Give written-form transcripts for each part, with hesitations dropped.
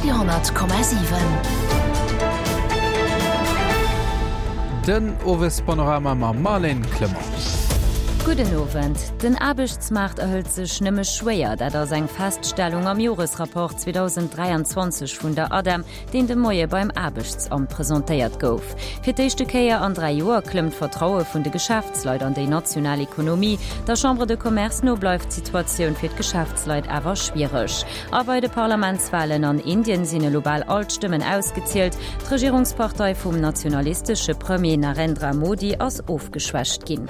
Radio 10,7. Den Owespanorama mam Marlène Clement. Gudden Owend. Den Aarbechtsmaart erhëlt sech nëmme schwéier. Dat ass eng Feststellung am Joresrapport 2023 vun der ADEM, deen de Moie beim Aarbechtsamt presentéiert gouf. Fir d'éischte Kéier an 3 Joer klëmmt d'Vertraue vun de Geschäftsleit an déi national Ekonomie. Der Chambre de Commerce no bleift d'Situatioun fir d'Geschäftsleit awer schwiereg. A bei de Parlamentswalen an Indien sinn elo bal all d'Stëmmen ausgezielt. D'Regierungspartei vum nationalistesche Premier Narendra Modi ass ofgeschwächt ginn.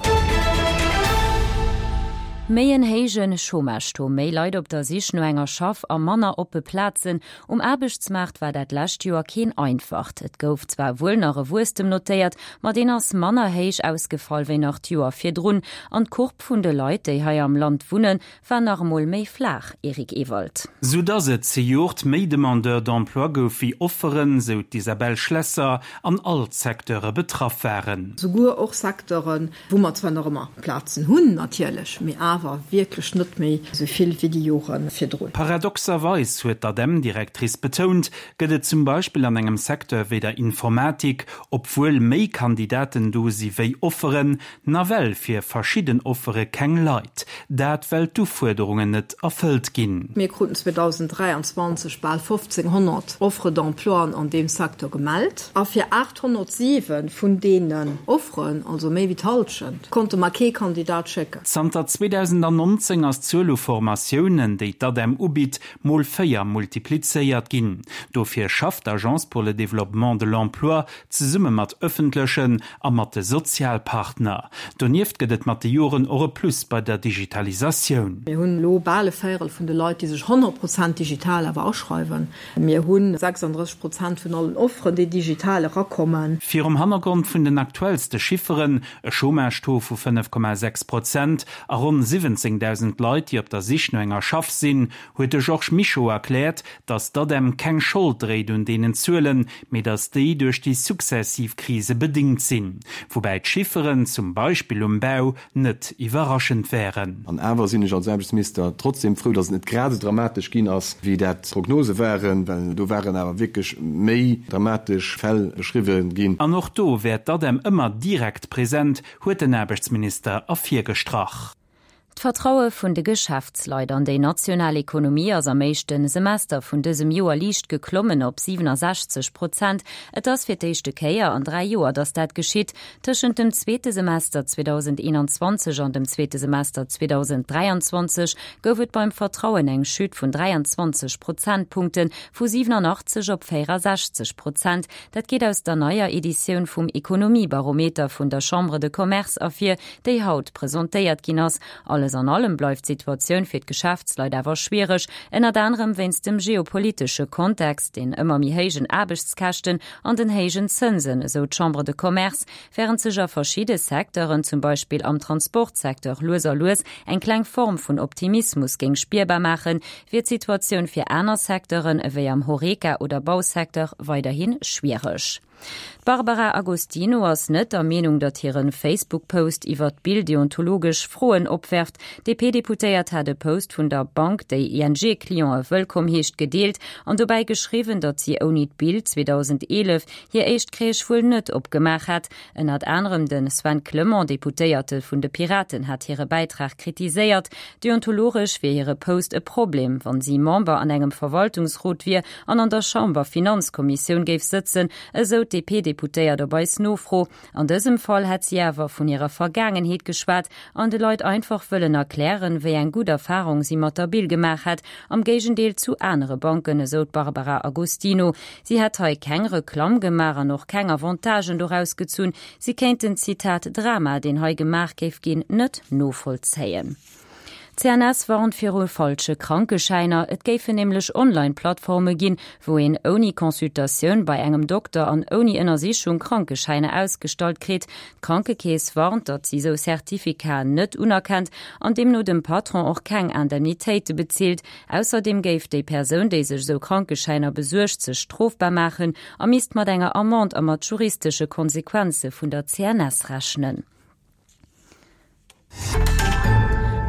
Méi en héije Chômage-Taux, méi Leit op der Sich no enger Schaff a manner oppe Plazen, Um Aarbechtsmaart war dat lescht Joer keen einfacht. Et gouf zwar wuel nach e Wuesstem notéiert, ma deen ass manner héich ausgefall wéi nach d'Joer virdrun. An d'Courbe vun de Leit, déi hei am Land wunnen, war nach emol méi flaach, Eric Ewald. Sou dass et zejoert méi Demandeurs d'emploi gouf wéi Offeren, sou d'Isabelle Schlesser, an all d'Secteure betraff waren. Souguer och Secteuren, Wou mer zwar nach ëmmer Plazen hunn natierlech, mee awer wierklech net méi esou vill wéi déi Jore virdrun. Paradoxerweis, huet d'ADEM-Directrice betount, gëtt et zum Beispill an engem Secteur wéi der Informatik, obwuel méi Kandidaten do si wéi Offeren, nawell fir verschidden Offere keng Leit. Dat well d'Ufuerderungen net erfëllt ginn. Mir kruten 2023 bal 1.500 Offres d'emploien an deem Secteur gemellt. A fir 807 vun deenen Offeren, also méi wéi d'Hallschent, konnte mer kee Kandidat schécken. Zanter 2019 ass d'Zuel u Formatiounen, déi d'ADEM ubitt, mol 4 multiplizéiert ginn. Dofir schafft d'Agence pour le développement de l'emploi zesumme mat ëffentlechen a mat de Sozialpartner. Donieft gëtt et mat de Joren och e Plus bei der Digitalisatioun. Mir hunn elo bal e Véierel vun de Leit, déi sech 100 Prozent digital awer aschreiwen. Mir hu 36 Prozent vun allen Offeren, déi digital erakommen. Virum Hannergrond vun den aktuellste Chifferen, e Chômage-Taux vu 5,6 Prozent a ronn 17.000 Leit, déi op der Sich no enger Schaff sinn, huet de Georges Mischo erkläert, datt d'ADEM keng Schold dréit un deenen Zuelen, mee datt déi duerch déi successiv Krise bedéngt sinn. Woubäi d'Chifferen, zum Beispill um Bau, net iwwerraschend wären. An awer sinn ech als Aarbechtsminister trotzdem frou, datt et net grad esou dramatesch ginn ass, wéi dat d'Prognose waren, well do waren awer wierklech méi dramatesch Fäll beschriwwen ginn. An och do wär d'ADEM ëmmer direkt present, huet den Aarbechtsminister ervirgestrach. D'Vertraue vun de Geschäftsleit an déi national Ekonomie ass am éischte Semester vun dësem Joer liicht geklommen op 67 Prozent. Et ass fir d'éischte Kéier an 3 Joer, datt dat geschitt. Tëschent dem zweete Semester 2021 an dem zweete Semester 2023 gouf et beim Vertrauen eng Chute vun 23 Prozentpunkte vu 87 op 64 Prozent. Dat geet aus der neier Editioun vum Ekonomiebarometer vun der Chambre de Commerce ervir, déi haut presentéiert ginn ass. Alles an allem bleift d'Situatioun fir d'Geschäftsleit awer schwiereg, ënnert anerem wéinst dem geopolitesche Kontext, den ëmmer méi héijen Aarbechtskäschten an den héijen Zënsen, esou d'Chambre de Commerce. Wärend sech a verschidde Secteuren, zum Beispill am Transportsecteur, lues a lues eng kleng Form vun Optimismus géing spierbar maachen, wier d'Situatioun fir aner Secteuren, ewéi am Horeca oder Bausecteur, weiderhi schwiereg. D'Barbara Agostino ass net der Meenung, datt hire Facebook-Post iwwer d'Bill deontologesch Froen opwerft. D'DP-Deputéiert hat e Post vun der Bank, déi ING-Clientë wëllkomm heescht, gedeelt an dobäi geschriwwen, datt si ouni d'Bill 2011 hir éischt Crèche wuel net opgemaach hätt. Ënnert anerem de Sven Clement, Deputéierte vun de Piraten, hat hire Bäitrag kritiséiert. Deontologesch wier hire Post e Problem, wann si Member an engem Verwaltungsrot wier an an der Chamber-Finanzkommissioun géif sëtzen, esou d'DP-Deputéiert op eis Nofro. An dësem Fall hätt si awer vun hirer Vergaangenheet geschwat an de Leit einfach wëllen erklären, wéi eng gutt Erfarung si mat der Bill gemaach hätt, am Géigendeel zu anere Banken, esou d'Barbara Agostino. Si hätt hei keng Reklamm gemaach an och keng Avantagen doraus gezunn. Si kéint den, Zitat, Drama, deen hei gemaach géif ginn, net novollzéien. D'CNS warnt viru falsche Krankeschäiner. Et géifen nämlech Online-Plattforme ginn, wou een ouni Consultatioun bei engem Dokter an ouni Ënnersichung Krankeschäiner ausgestallt kritt. D'Krankekeess warnt, datt si sou Certificaten net unerkennt an deemno dem Patron och keng Indemnitéite bezilt. Ausserdeem géif déi Persoun, déi sech sou Krankeschäiner besuergt, sech strofbar maachen a misst mat enger Amende a mat juristesche Konsequenze vun der CNS rechnen.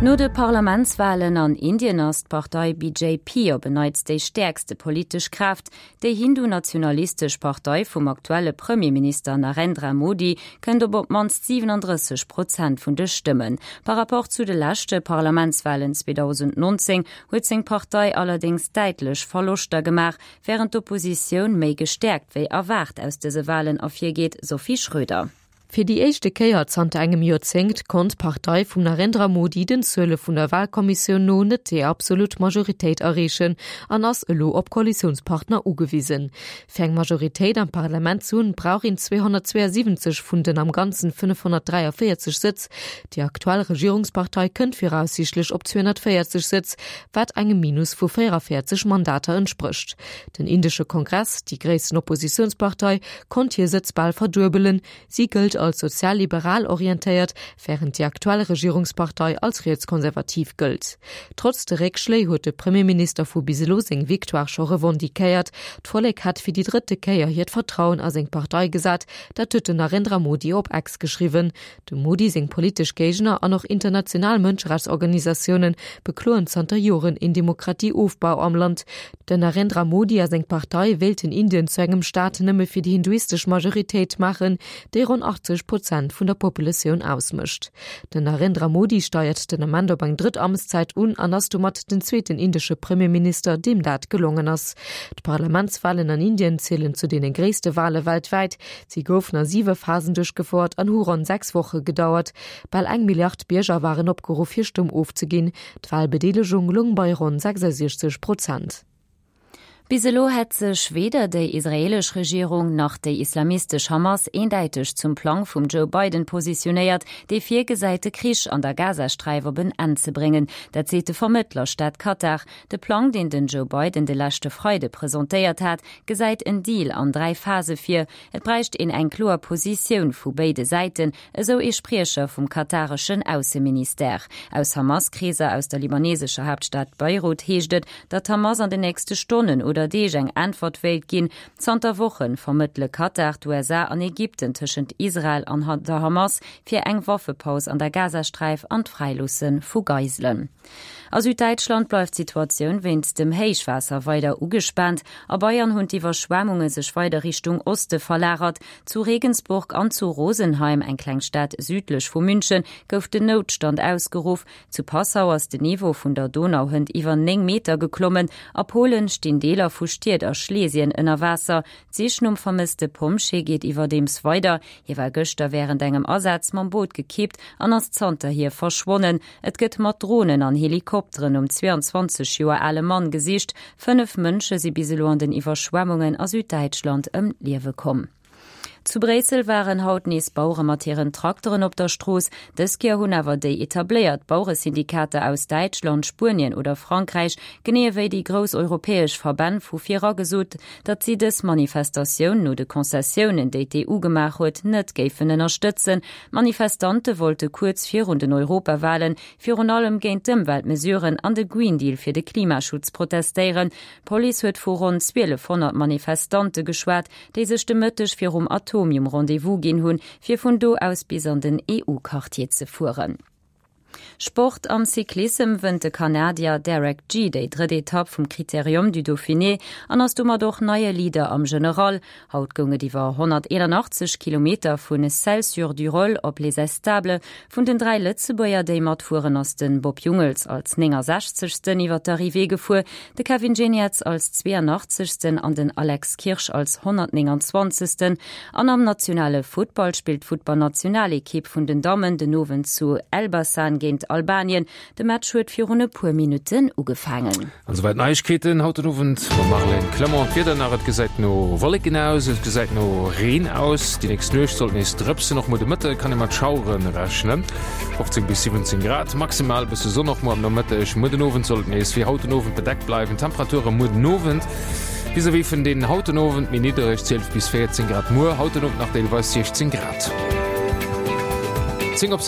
No de Parlamentswalen an Indien ass d'Partei BJP op en Neits déi stäerkste politesch Kraaft. Déi hindu-nationalistesch Partei vum aktuelle Premierminister Narendra Modi kënnt op op d'mannst 37 Prozent vun de Stëmmen. Par Rapport zu de leschte Parlamentswalen 2019 huet seng Partei allerdéngs däitlech Verloschter gemaach, wärend d'Oppositioun méi gestäerkt wéi erwaart aus dëse Walen ervirgeet, Sophie Schröder. Fir déi éischte Kéier zanter engem Joerzéngt konnt d'Partei vum Narendra Modi den Zuele vun der Walkommissioun no net déi absolut Majoritéit erreechen an ass elo op Koalitiounspartner ugewisen. Fir eng Majoritéit am Parlament ze hunn, brauch een 272 vun den am Ganzen 543 Sëtz. Déi aktuell Regierungspartei kënnt viraussiichtlech op 240 Sëtz, wat engem Minus vu 44 Mandater entsprécht. Den indesche Kongress, déi gréissten Oppositiounspartei, konnt hir Sëtz bal verduebelen. Si gëllt als sozial-liberal orientéiert, wärend déi aktuell Regierungspartei als rietskonservativ gëllt. Trotz de Réckschléi huet de Premierminister vu bis elo seng Victoire scho revendiquéiert. D'Vollek hätt fir déi drëtte Kéier hiert Vertrauen a seng Partei gesat, dat huet den Narendra Modi op X geschriwwen. Dem Modi seng politesch Géigner an och international Mënscherechtsorganisatioune bekloen zanter Joren een Demokratieofbau am Land. Den Narendra Modi a seng Partei wéilten Indien zu engem Staat nëmme fir déi hinduistesch Majoritéit maachen, déi ronn 80 Prozent vun der Populatioun ausmécht. Den Narendra Modi steiert den Ament op eng drëtt Amtszäit un an ass domat den zweeten indesche Premierminister, deem dat gelongen ass. D'Parlamentswalen an Indien zielen zu deene gréisste Wale weltwäit. Si goufen a siwe Phasen duerchgefouert an hu ronn 6 Woche gedauert. Bal eng Milliard Bierger waren opgeruff, hir Stëmm ofzeginn. D'Walbedeelegung loung bei ronn 66 Prozent. Bis elo hätt sech weder déi israeelesch Regierung nach déi islamistesch Hamas eendäiteg zum Plang vum Joe Biden positionéiert, dee virgesäit, de Krich an der Gazasträif op en Enn ze bréngen. Dat seet de Vermëttlerstaat Katar. De Plang, deen den Joe Biden de leschte Freide presentéiert hat, gesäit en Deal an 3 Phase vir. Et bräicht een eng kloer Positioun vu béide Säiten, esou ee Spriecher vum katareschen Ausseministère. Aus Hamas-Kreeser aus der libanesescher Haaptstad Beirut heescht et, datt d'Hamas an den nächste Stonnen oder Deeg eng Äntwert wéilt ginn. Zanter Woche vermëttele Katar, d'USA an Ägypten tëschent Israel an der Hamas fir eng Waffepaus an der Gazasträif an d'Fräiloosse vu Geiselen. A Süddäitschland bleift d'Situatioun wéinst dem Héichwaasser weider ugespaant. A Bayern hunn d'Iwwerschwemmunge sech weider Richtung Oste verlagert. Zu Regensburg an zu Rosenheim, eng kleng Stad südlech vu München, gouf den Noutstand ausgeruff. Zu Passau ass den Niveau vun der Donau hënt iwwer 9 Meter geklommen. A Polen stinn Deeler vu Stied a Schlesien ënner Waasser. D'Sich nom vermësste Pompjee geet iwwerdeems weider. Hie war gëschter wärend engem Asaz mam Boot gekippt an ass zanterhier verschwonnen. Et gëtt mat Dronen an Helikopteren nom 22 Joer ale Mann gesicht. 5 Mënsche si bis elo an den Iwwerschwemmungen a Süddäitschland ëm d'Liewe komm. Zu Bréissel waren haut nees Bauere mat hiren Trakteren op der Strooss. Dës Kéier hunn awer déi etabléiert Baueresyndikater aus Däitschland, Spuenien oder Frankräich, genee ewéi déi grouss europäesch Verbänn vu vir era gesot, datt si dës Manifestatioun no de Concessiounen, déi d'EU gemaach huet, net géifen ënnerstëtzen. D'Manifestante wollte kuerz virun den Europawalen virun allem géint d'Ëmweltmesuren an de Green Deal fir de Klimaschutz protestéieren. D'Police huet vu ronn 1.200 Manifestante geschwat, déi sech de Mëtteg virum Atomium Rendez-vous ginn hunn, fir vun do aus bis an den EU-Quartier ze fueren. Sport, Am Cyclissem wënnt de Kanadier Derek Gee déi drëtt Etapp vum Critérium du Dauphiné an ass domat och neie Leader am General. Haut goung et iwwer 181 Kilometer vu Celles-sur-Durolle op Les Estables. Vun den 3 Lëtzebuerger, déi matfueren, ass de Bob Jungels als 69. Iwwer d'Arrivée gefuer, de Kevin Geniets als 82. An den Alex Kirsch als 129. An am nationale Futtball spillt d'Futtballnationalekipp vun den Dammen den Owend zu Elbasan géint Albanien. De Match huet virun e puer Minutten ugefaangen. An esouwäit d'Neiegkeeten haut den Owend mam Marlène Clement. D'Wieder nach, Et gesäit no Wolleken aus, et gesäit no Reen aus. Déi nächst Nuecht sollt nees drëpsen, och muer de Mëtte kann ee mat Schauere rechnen. 15 bis 17 Grad maximal, bësse Sonn och muer am Nomëtteg. Muer den Owend soll et nees wéi haut den Owend bedeckt bleiwen. Temperature muer den Owend vis-à-vis vun deenen haut den Owend méi niddereg, 12 bis 14 Grad muer, haut den Owend nach deelweis 16 Grad. 10 op.